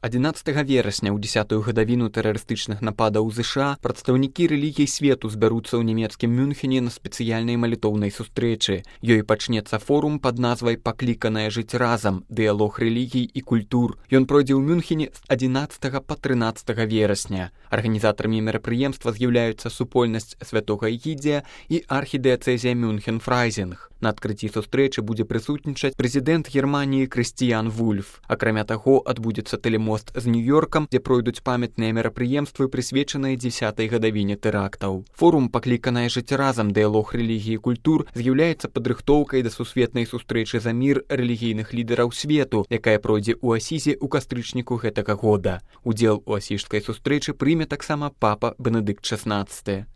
11 верасня ў 10-ю гадавіну тэрарыстычных нападаў у ЗША прадстаўнікі рэлігій свету збяруцца ў нямецкім Мюнхене на спецыяльнай малітоўнай сустрэчы. Ёй пачнецца форум пад назвай «Пакліканае жыць разам. Дыялог рэлігій і культур». Ён пройдзе ў Мюнхене з 11 па 13 верасня. Арганізатарамі мерапрыемства з'яўляюцца супольнасць святога Эгідзія і архідыяцэзія Мюнхен-Фрайзінг. На адкрыцці сустрэчы будзе прысутнічаць прэзідэнт Германіі Крыстіян Вульф. Акрамя таго, адбудзецца тэлемост з Нью-Йоркам, дзе пройдуць памятныя мерапрыемствы, прысвечаныя 10-й гадавіне тэрактаў. Форум «Пакліканае жыць разам. Дыялог рэлігій і культур» з'яўляецца падрыхтоўкай да сусветнай сустрэчы за мір рэлігійных лідараў свету, якая пройдзе ў Асізе ў кастрычніку гэтага года. Удзел у асіжскай сустрэчы прыме таксама папа Бенедыкт XVI.